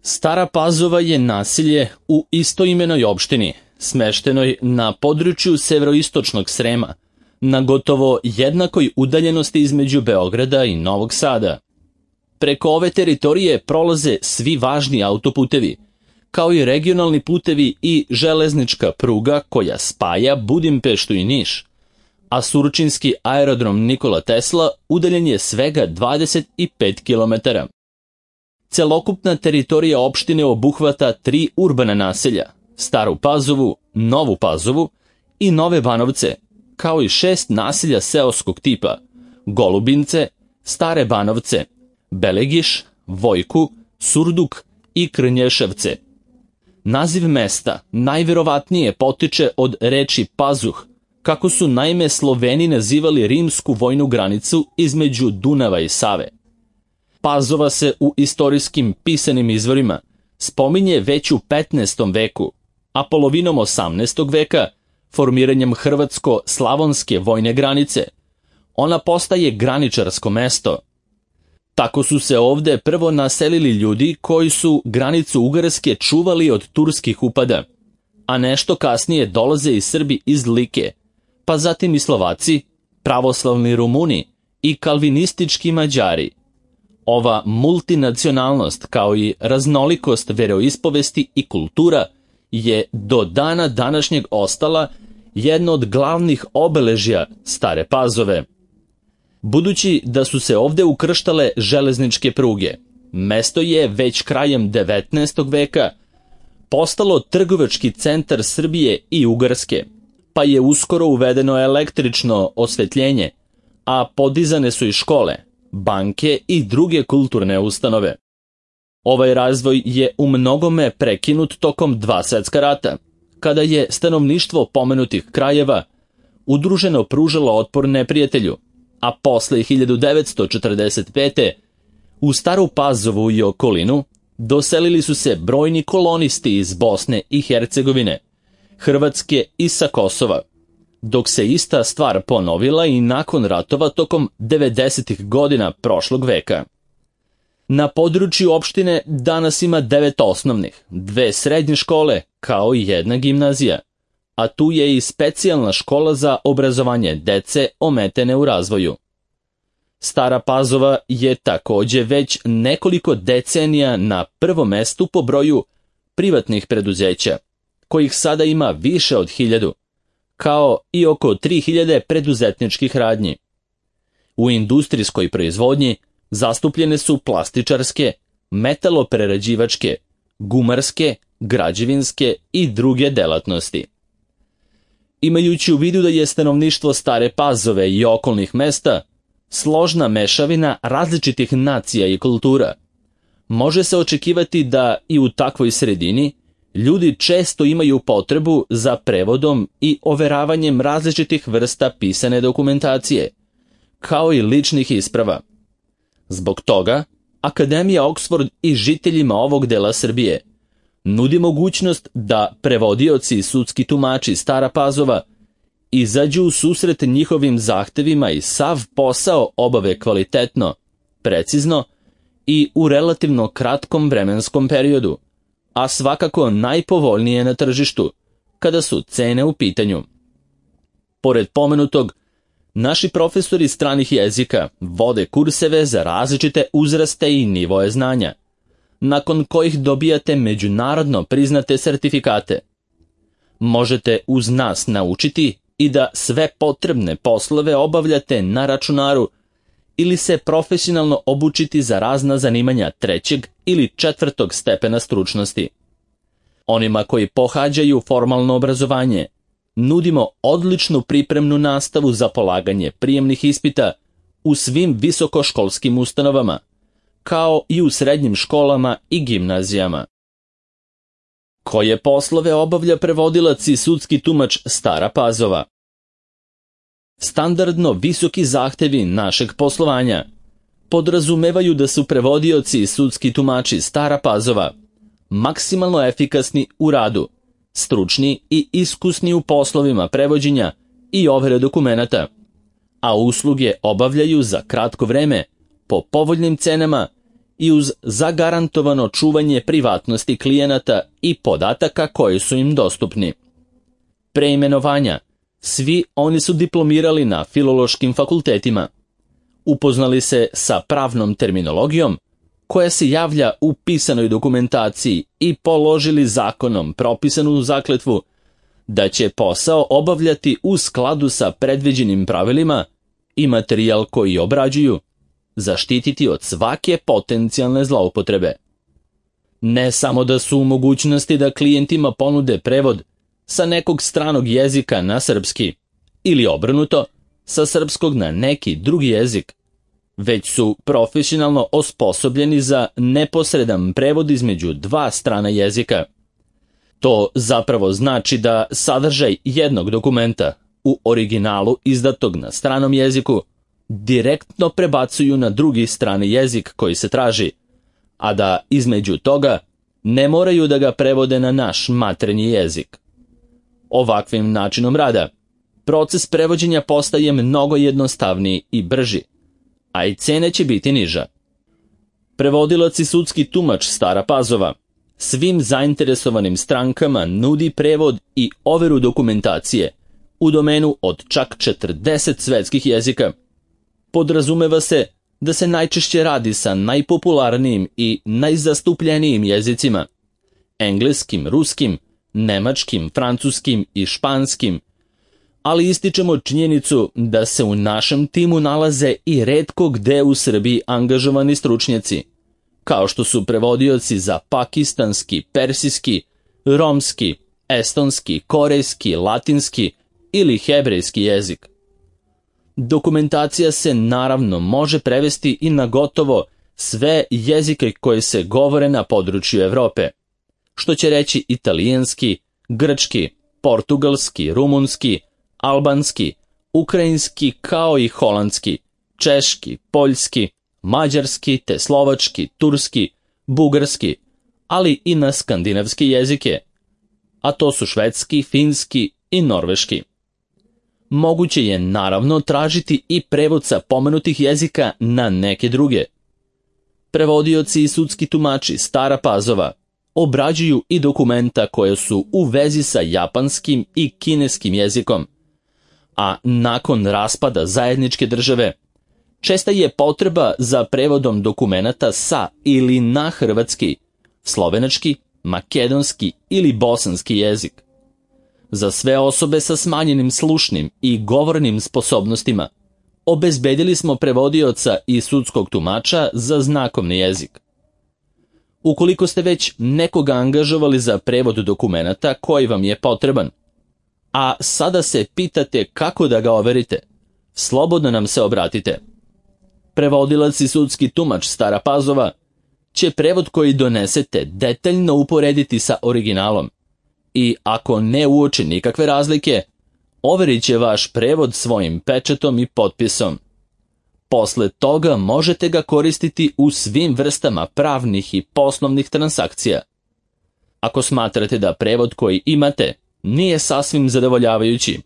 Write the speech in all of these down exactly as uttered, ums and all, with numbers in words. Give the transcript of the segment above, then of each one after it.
Stara Pazova je naselje u istoimenoj opštini, smeštenoj na području severoistočnog Srema, na gotovo jednakoj udaljenosti između Beograda i Novog Sada. Preko ove teritorije prolaze svi važni autoputevi, kao i regionalni putevi i železnička pruga koja spaja Budimpeštu i Niš, a surčinski aerodrom Nikola Tesla udaljen je svega dvadeset pet kilometara. Celokupna teritorija opštine obuhvata tri urbana naselja, Staru Pazovu, Novu Pazovu i Nove Banovce, kao i šest naselja seoskog tipa, Golubince, Stare Banovce, Belegiš, Vojku, Surduk i Krnješevce. Naziv mesta najverovatnije potiče od reči pazuh, kako su naime Sloveni nazivali rimsku vojnu granicu između Dunava i Save. Pazova se u istorijskim pisanim izvorima spominje već u petnaestom veku, a polovinom osamnaestog veka, formiranjem hrvatsko-slavonske vojne granice, ona postaje graničarsko mesto. Tako su se ovde prvo naselili ljudi koji su granicu Ugarske čuvali od turskih upada, a nešto kasnije dolaze i Srbi iz Like, pa zatim i Slovaci, pravoslavni Rumuni i kalvinistički Mađari. Ova multinacionalnost kao i raznolikost veroispovesti i kultura je do dana današnjeg ostala jedno od glavnih obeležja Stare Pazove. Budući da su se ovde ukrštale železničke pruge, mesto je već krajem devetnaestog veka postalo trgovački centar Srbije i Ugarske, pa je uskoro uvedeno električno osvetljenje, a podizane su i škole, banke i druge kulturne ustanove. Ovaj razvoj je u mnogome prekinut tokom dva svetska rata, kada je stanovništvo pomenutih krajeva udruženo pružalo otpor neprijatelju, a posle hiljadu devetsto četrdeset pete. u Staru Pazovu i okolinu doselili su se brojni kolonisti iz Bosne i Hercegovine, Hrvatske i sa Kosova, dok se ista stvar ponovila i nakon ratova tokom devedesetih godina prošlog veka. Na području opštine danas ima devet osnovnih, dve srednje škole, kao i jedna gimnazija, a tu je i specijalna škola za obrazovanje dece ometene u razvoju. Stara Pazova je takođe već nekoliko decenija na prvom mestu po broju privatnih preduzeća, kojih sada ima više od hiljadu, kao i oko tri hiljade preduzetničkih radnji. U industrijskoj proizvodnji zastupljene su plastičarske, metaloprerađivačke, gumarske, građevinske i druge delatnosti. Imajući u vidu da je stanovništvo Stare Pazove i okolnih mesta složna mešavina različitih nacija i kultura, može se očekivati da i u takvoj sredini ljudi često imaju potrebu za prevodom i overavanjem različitih vrsta pisane dokumentacije, kao i ličnih isprava. Zbog toga, Akademija Oxford i žiteljima ovog dela Srbije nudi mogućnost da prevodioci i sudski tumači Stara Pazova izađu u susret njihovim zahtevima i sav posao obave kvalitetno, precizno i u relativno kratkom vremenskom periodu, a svakako najpovoljnije na tržištu, kada su cene u pitanju. Pored pomenutog, naši profesori stranih jezika vode kurseve za različite uzraste i nivoje znanja, nakon kojih dobijate međunarodno priznate sertifikate. Možete uz nas naučiti i da sve potrebne poslove obavljate na računaru ili se profesionalno obučiti za razna zanimanja trećeg ili četvrtog stepena stručnosti. Onima koji pohađaju formalno obrazovanje nudimo odličnu pripremnu nastavu za polaganje prijemnih ispita u svim visokoškolskim ustanovama, kao i u srednjim školama i gimnazijama. Koje poslove obavlja prevodilac i sudski tumač Stara Pazova? Standardno visoki zahtevi našeg poslovanja podrazumevaju da su prevodioci i sudski tumači Stara Pazova maksimalno efikasni u radu, stručni i iskusni u poslovima prevođenja i overe dokumenata, a usluge obavljaju za kratko vreme, po povoljnim cenama i uz zagarantovano čuvanje privatnosti klijenata i podataka koji su im dostupni. Preimenovanja. Svi oni su diplomirali na filološkim fakultetima. Upoznali se sa pravnom terminologijom koja se javlja u pisanoj dokumentaciji i položili zakonom propisanu zakletvu da će posao obavljati u skladu sa predviđenim pravilima i materijal koji obrađuju zaštititi od svake potencijalne zloupotrebe. Ne samo da su u mogućnosti da klijentima ponude prevod sa nekog stranog jezika na srpski ili obrnuto sa srpskog na neki drugi jezik, već su profesionalno osposobljeni za neposredan prevod između dva strana jezika. To zapravo znači da sadržaj jednog dokumenta u originalu izdatog na stranom jeziku direktno prebacuju na drugi strani jezik koji se traži, a da između toga ne moraju da ga prevode na naš maternji jezik. Ovakvim načinom rada, proces prevođenja postaje mnogo jednostavniji i brži, a i cena će biti niža. Prevodilac i sudski tumač Stara Pazova svim zainteresovanim strankama nudi prevod i overu dokumentacije u domenu od čak četrdeset svetskih jezika. Podrazumeva se da se najčešće radi sa najpopularnijim i najzastupljenijim jezicima, engleskim, ruskim, nemačkim, francuskim i španskim, ali ističemo činjenicu da se u našem timu nalaze i retko gde u Srbiji angažovani stručnjaci, kao što su prevodioci za pakistanski, persijski, romski, estonski, korejski, latinski ili hebrejski jezik. Dokumentacija se naravno može prevesti i na gotovo sve jezike koje se govore na području Evrope, što će reći italijanski, grčki, portugalski, rumunski, albanski, ukrajinski kao i holandski, češki, poljski, mađarski te slovački, turski, bugarski, ali i na skandinavske jezike, a to su švedski, finski i norveški. Moguće je naravno tražiti i prevod sa pomenutih jezika na neke druge. Prevodioci i sudski tumači Stara Pazova obrađuju i dokumenta koje su u vezi sa japanskim i kineskim jezikom, a nakon raspada zajedničke države česta je potreba za prevodom dokumenata sa ili na hrvatski, slovenački, makedonski ili bosanski jezik. Za sve osobe sa smanjenim slušnim i govornim sposobnostima obezbedili smo prevodioca i sudskog tumača za znakovni jezik. Ukoliko ste već nekoga angažovali za prevod dokumenata koji vam je potreban, a sada se pitate kako da ga overite, slobodno nam se obratite. Prevodilac i sudski tumač Stara Pazova će prevod koji donesete detaljno uporediti sa originalom i ako ne uoči nikakve razlike, overit će vaš prevod svojim pečatom i potpisom. Posle toga možete ga koristiti u svim vrstama pravnih i poslovnih transakcija. Ako smatrate da prevod koji imate nije sasvim zadovoljavajući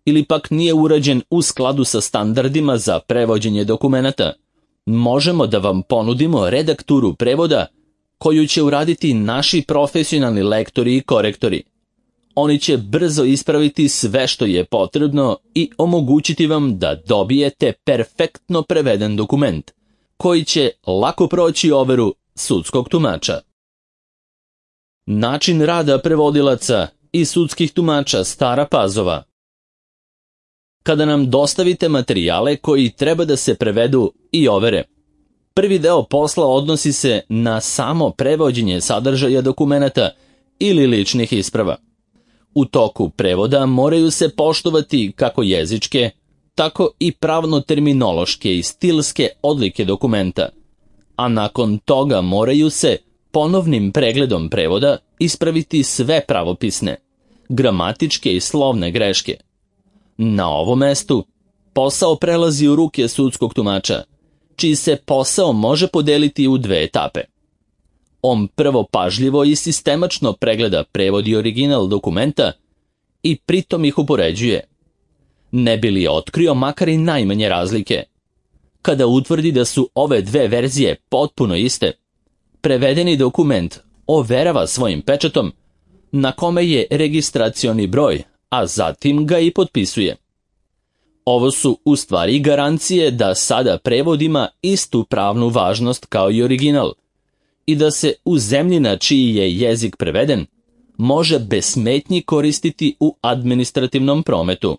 ili pak nije urađen u skladu sa standardima za prevođenje dokumenata, možemo da vam ponudimo redakturu prevoda koju će uraditi naši profesionalni lektori i korektori. Oni će brzo ispraviti sve što je potrebno i omogućiti vam da dobijete perfektno preveden dokument, koji će lako proći overu sudskog tumača. Način rada prevodilaca i sudskih tumača Stara Pazova. Kada nam dostavite materijale koji treba da se prevedu i overe, prvi deo posla odnosi se na samo prevođenje sadržaja dokumenata ili ličnih isprava. U toku prevoda moraju se poštovati kako jezičke, tako i pravno-terminološke i stilske odlike dokumenta, a nakon toga moraju se ponovnim pregledom prevoda ispraviti sve pravopisne, gramatičke i slovne greške. Na ovom mestu posao prelazi u ruke sudskog tumača, čiji se posao može podeliti u dve etape. On prvo pažljivo i sistemačno pregleda prevod i original dokumenta i pritom ih upoređuje. Ne bi li otkrio makar i najmanje razlike. Kada utvrdi da su ove dve verzije potpuno iste, prevedeni dokument overava svojim pečatom, na kome je registracioni broj, a zatim ga i potpisuje. Ovo su u stvari garancije da sada prevod ima istu pravnu važnost kao i original i da se u zemlji na čiji je jezik preveden može bez smetnji koristiti u administrativnom prometu.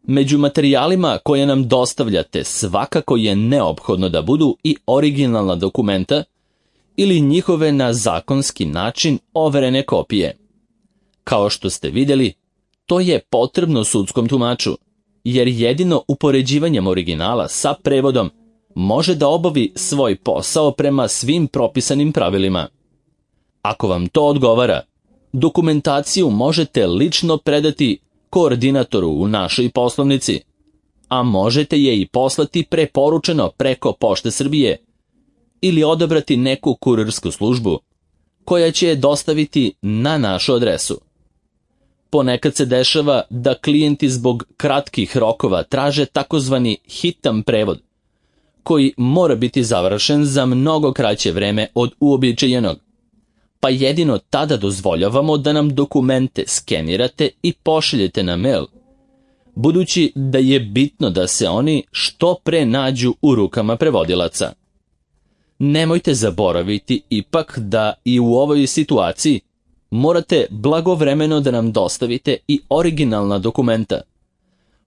Među materijalima koje nam dostavljate svakako je neophodno da budu i originalna dokumenta ili njihove na zakonski način overene kopije. Kao što ste vidjeli, to je potrebno sudskom tumaču, jer jedino upoređivanjem originala sa prevodom može da obavi svoj posao prema svim propisanim pravilima. Ako vam to odgovara, dokumentaciju možete lično predati koordinatoru u našoj poslovnici, a možete je i poslati preporučeno preko Pošte Srbije ili odabrati neku kurirsku službu koja će je dostaviti na našu adresu. Ponekad se dešava da klijenti zbog kratkih rokova traže takozvani hitan prevod, koji mora biti završen za mnogo kraće vreme od uobičajenog, pa jedino tada dozvoljavamo da nam dokumente skenirate i pošaljete na mail, budući da je bitno da se oni što pre nađu u rukama prevodilaca. Nemojte zaboraviti ipak da i u ovoj situaciji morate blagovremeno da nam dostavite i originalna dokumenta,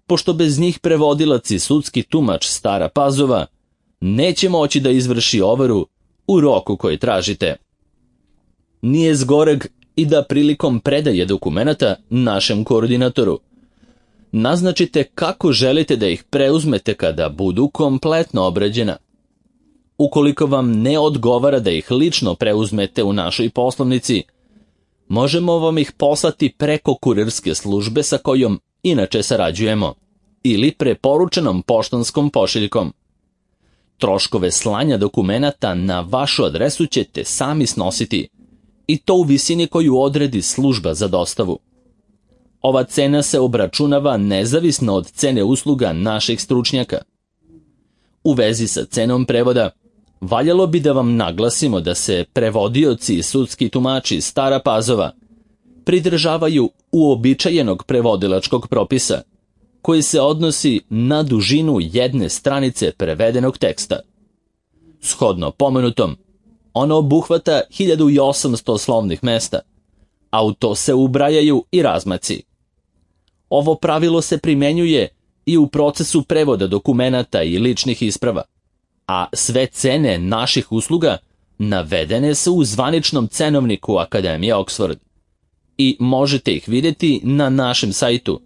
pošto bez njih prevodilac i sudski tumač Stara Pazova neće moći da izvrši overu u roku koji tražite. Nije zgoreg i da prilikom predaje dokumenata našem koordinatoru naznačite kako želite da ih preuzmete kada budu kompletno obrađena. Ukoliko vam ne odgovara da ih lično preuzmete u našoj poslovnici, možemo vam ih poslati preko kurirske službe sa kojom inače sarađujemo ili preporučenom poštanskom pošiljkom. Troškove slanja dokumenata na vašu adresu ćete sami snositi i to u visini koju odredi služba za dostavu. Ova cena se obračunava nezavisno od cene usluga naših stručnjaka. U vezi sa cenom prevoda, valjalo bi da vam naglasimo da se prevodioci i sudski tumači Stara Pazova pridržavaju uobičajenog prevodilačkog propisa, koji se odnosi na dužinu jedne stranice prevedenog teksta. Shodno pomenutom, ono obuhvata hiljadu osamsto slovnih mesta, a u to se ubrajaju i razmaci. Ovo pravilo se primenjuje i u procesu prevoda dokumenata i ličnih isprava, a sve cene naših usluga navedene su u zvaničnom cenovniku Akademije Oxford i možete ih vidjeti na našem sajtu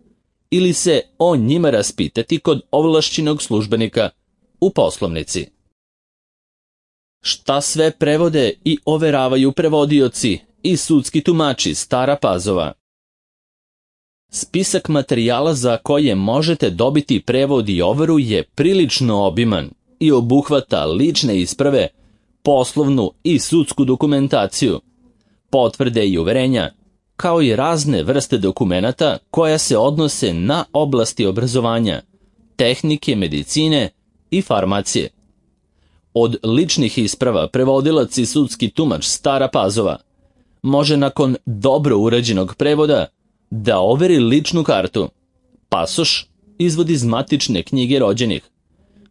ili se o njima raspitati kod ovlašćenog službenika u poslovnici. Šta sve prevode i overavaju prevodioci i sudski tumači Stara Pazova? Spisak materijala za koje možete dobiti prevod i overu je prilično obiman i obuhvata lične isprave, poslovnu i sudsku dokumentaciju, potvrde i uverenja, kao i razne vrste dokumenata koja se odnose na oblasti obrazovanja, tehnike, medicine i farmacije. Od ličnih isprava prevodilac i sudski tumač Stara Pazova može nakon dobro urađenog prevoda da overi ličnu kartu, pasoš, izvod iz matične knjige rođenih,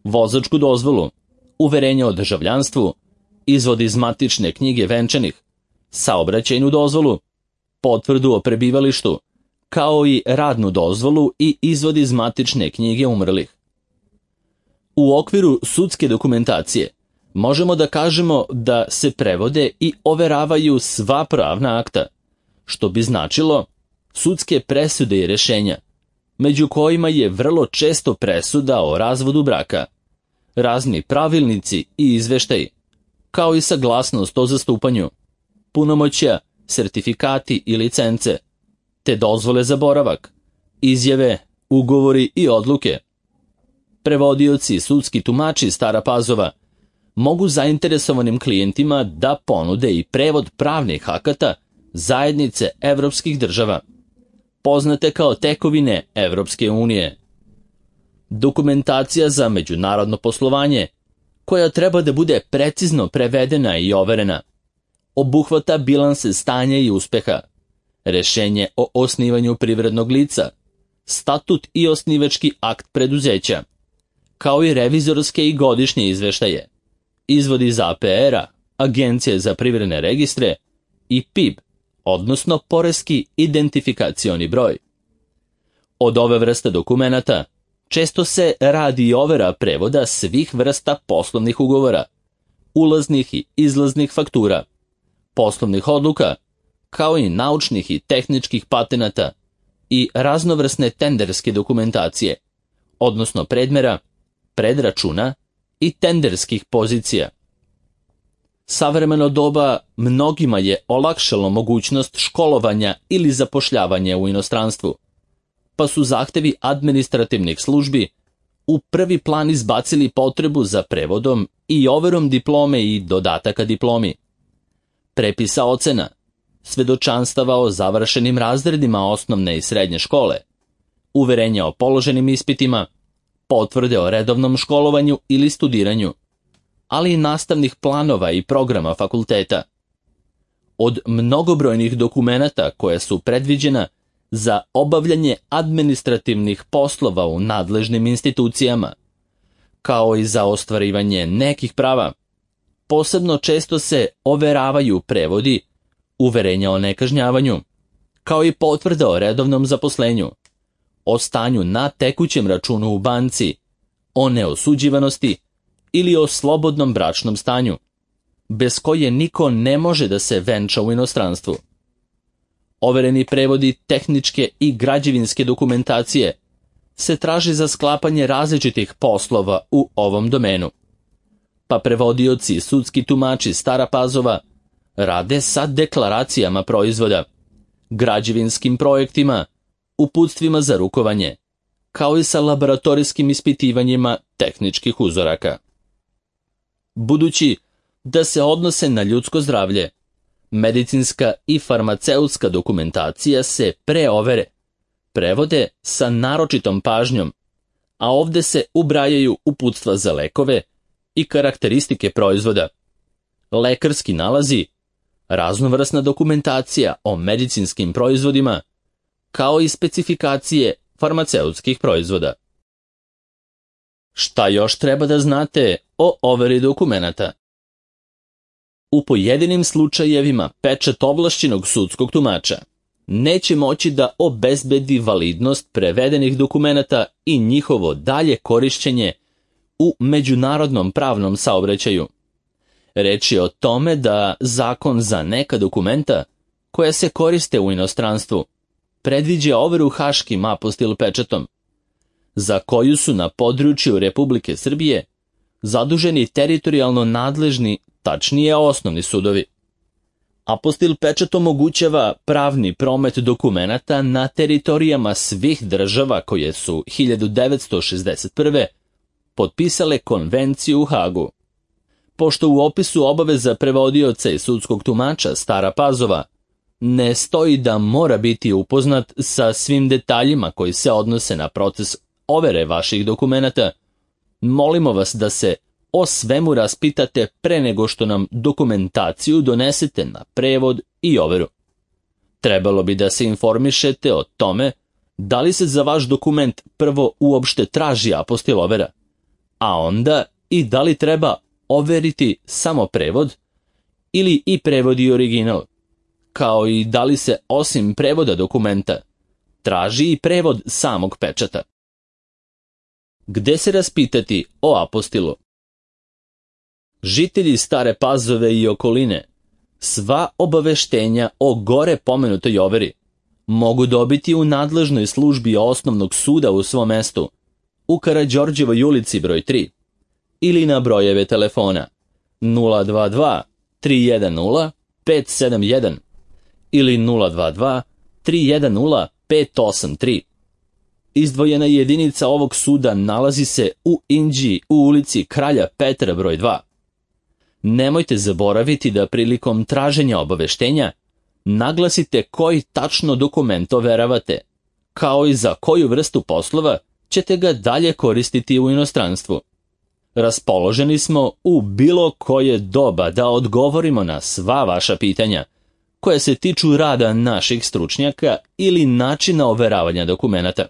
vozačku dozvolu, uverenje o državljanstvu, izvod iz matične knjige venčanih, saobraćajnu dozvolu, potvrdu o prebivalištu, kao i radnu dozvolu i izvod iz matične knjige umrlih. U okviru sudske dokumentacije možemo da kažemo da se prevode i overavaju sva pravna akta, što bi značilo sudske presude i rešenja, među kojima je vrlo često presuda o razvodu braka, razni pravilnici i izveštaji, kao i saglasnost o zastupanju, punomoćja, sertifikati i licence, te dozvole za boravak, izjave, ugovori i odluke. Prevodioci i sudski tumači Stara Pazova mogu zainteresovanim klijentima da ponude i prevod pravnih akata zajednice evropskih država, poznate kao tekovine Evropske unije. dokumentacija za međunarodno poslovanje, koja treba da bude precizno prevedena i overena, obuhvata bilanse stanja i uspeha, rešenje o osnivanju privrednog lica, statut i osnivački akt preduzeća, kao i revizorske i godišnje izveštaje, izvodi iz A P R-a, Agencije za privredne registre i P I B, odnosno poreski identifikacioni broj. Od ove vrste dokumenata često se radi i overa prevoda svih vrsta poslovnih ugovora, ulaznih i izlaznih faktura, poslovnih odluka, kao i naučnih i tehničkih patenata i raznovrsne tenderske dokumentacije, odnosno predmera, predračuna i tenderskih pozicija. Savremeno doba mnogima je olakšalo mogućnost školovanja ili zapošljavanja u inostranstvu, pa su zahtevi administrativnih službi u prvi plan izbacili potrebu za prevodom i overom diplome i dodataka diplomi, prepisa ocena, svedočanstava o završenim razredima osnovne i srednje škole, uverenja o položenim ispitima, potvrde o redovnom školovanju ili studiranju, ali i nastavnih planova i programa fakulteta. Od mnogobrojnih dokumenata koja su predviđena za obavljanje administrativnih poslova u nadležnim institucijama, kao i za ostvarivanje nekih prava, posebno često se overavaju prevodi, uverenja o nekažnjavanju, kao i potvrda o redovnom zaposlenju, o stanju na tekućem računu u banci, o neosuđivanosti ili o slobodnom bračnom stanju, bez koje niko ne može da se venča u inostranstvu. Overeni prevodi tehničke i građevinske dokumentacije se traži za sklapanje različitih poslova u ovom domenu, pa prevodioci i sudski tumači Stara Pazova rade sa deklaracijama proizvoda, građevinskim projektima, uputstvima za rukovanje, kao i sa laboratorijskim ispitivanjima tehničkih uzoraka. Budući da se odnose na ljudsko zdravlje, medicinska i farmaceutska dokumentacija se preovere, prevode sa naročitom pažnjom, a ovde se ubrajaju uputstva za lekove i karakteristike proizvoda, lekarski nalazi, raznovrsna dokumentacija o medicinskim proizvodima, kao i specifikacije farmaceutskih proizvoda. Šta još treba da znate o overi dokumenata? U pojedinim slučajevima pečat ovlašćenog sudskog tumača neće moći da obezbedi validnost prevedenih dokumenata i njihovo dalje korišćenje u međunarodnom pravnom saobraćaju. Reč je o tome da zakon za neka dokumenta koja se koriste u inostranstvu predviđa overu haškim apostil pečatom, za koju su na području Republike Srbije zaduženi teritorijalno nadležni, tačnije osnovni sudovi. Apostil pečat omogućava pravni promet dokumenata na teritorijama svih država koje su hiljadu devetsto šezdeset prve. potpisale konvenciju u Hagu. Pošto u opisu obaveza prevodioca i sudskog tumača Stara Pazova ne stoji da mora biti upoznat sa svim detaljima koji se odnose na proces overe vaših dokumenata, molimo vas da se o svemu raspitate pre nego što nam dokumentaciju donesete na prevod i overu. Trebalo bi da se informišete o tome da li se za vaš dokument prvo uopšte traži apostil overa, a onda i da li treba overiti samo prevod ili i prevod i original, kao i da li se osim prevoda dokumenta traži i prevod samog pečata. Gde se raspitati o apostilu? Žitelji Stare Pazove i okoline sva obaveštenja o gore pomenutoj overi mogu dobiti u nadležnoj službi osnovnog suda u svom mestu, u Karađorđevoj ulici broj tri, ili na brojeve telefona nula dva dva tri jedan nula pet sedam jedan ili nula dva dva tri jedan nula pet osam tri. Izdvojena jedinica ovog suda nalazi se u Inđiji u ulici Kralja Petra broj dva. Nemojte zaboraviti da prilikom traženja obaveštenja naglasite koji tačno dokument overavate, kao i za koju vrstu poslova ćete ga dalje koristiti u inostranstvu. Raspoloženi smo u bilo koje doba da odgovorimo na sva vaša pitanja, koje se tiču rada naših stručnjaka ili načina overavanja dokumenata.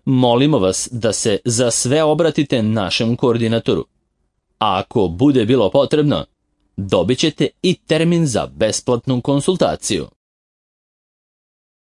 Molimo vas da se za sve obratite našem koordinatoru. A ako bude bilo potrebno, dobit ćete i termin za besplatnu konsultaciju.